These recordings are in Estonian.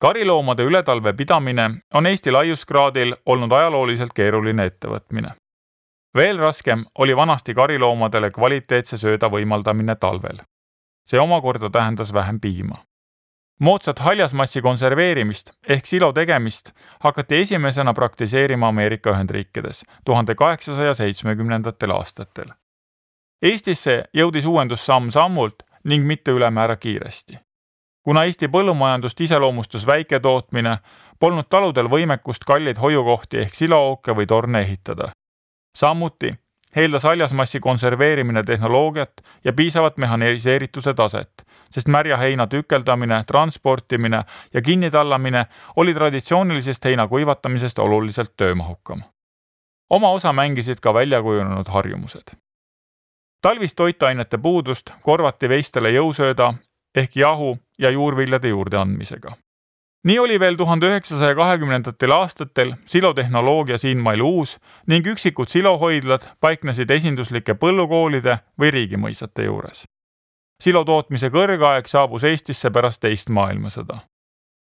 Kariloomade ületalve pidamine on Eesti laiuskraadil olnud ajalooliselt keeruline ettevõtmine. Veel raskem oli vanasti kariloomadele kvaliteetse sööda võimaldamine talvel. See omakorda tähendas vähem piima. Moodsat haljasmassi konserveerimist ehk silo tegemist hakati esimesena praktiseerima Ameerika Ühendriikides 1870. aastatel. Eestisse jõudis uuendus samm-sammult ning mitte ülemäära kiiresti. Kuna Eesti põllumajandust iseloomustus väiketootmine, polnud taludel võimekust kalleid hoiukohti ehk siloooke või torne ehitada. Samuti eeldas haljasmassi konserveerimine tehnoloogiat ja piisavat mehhaniseerituse taset, sest märja heina tükeldamine, transportimine ja kinnitallamine oli traditsioonilisest heina kuivatamisest oluliselt töömahukam. Oma osa mängisid ka väljakujunenud harjumused. Talvist toitainete puudust korvati veistele jõusööda ehk jahu ja juurviljade juurde andmisega. Nii oli veel 1920. aastatel silotehnoloogia siinmail uus ning üksikud silohoidlad paiknesid esinduslike põllukoolide või riigimõisate juures. Silotootmise kõrgaeg saabus Eestisse pärast teist maailmasõda.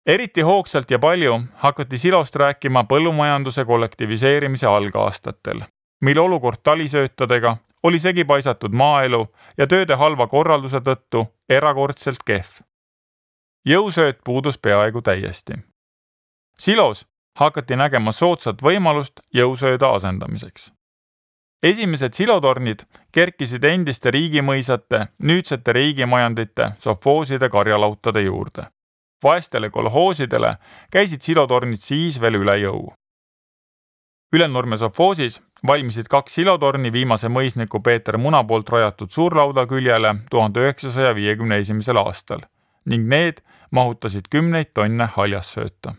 Eriti hoogsalt ja palju hakati silost rääkima põllumajanduse kollektiviseerimise algaastatel, mil olukord talisöötadega oli segi paisatud maaelu ja tööde halva korralduse tõttu erakordselt kehv. Jõusööt puudus peaaegu täiesti. Silos hakati nägema soodsat võimalust jõusööda asendamiseks. Esimesed silotornid kerkisid endiste riigimõisate, nüüdsete riigimajandite, sovhooside karjalautade juurde. Vaestele kolhoosidele käisid silotornid siis veel üle jõu. Ülenurme sovhoosis valmisid 2 silotorni viimase mõisniku Peeter Muna poolt rajatud suurlauda küljele 1951. aastal ning need mahutasid 10 tonne haljassööta.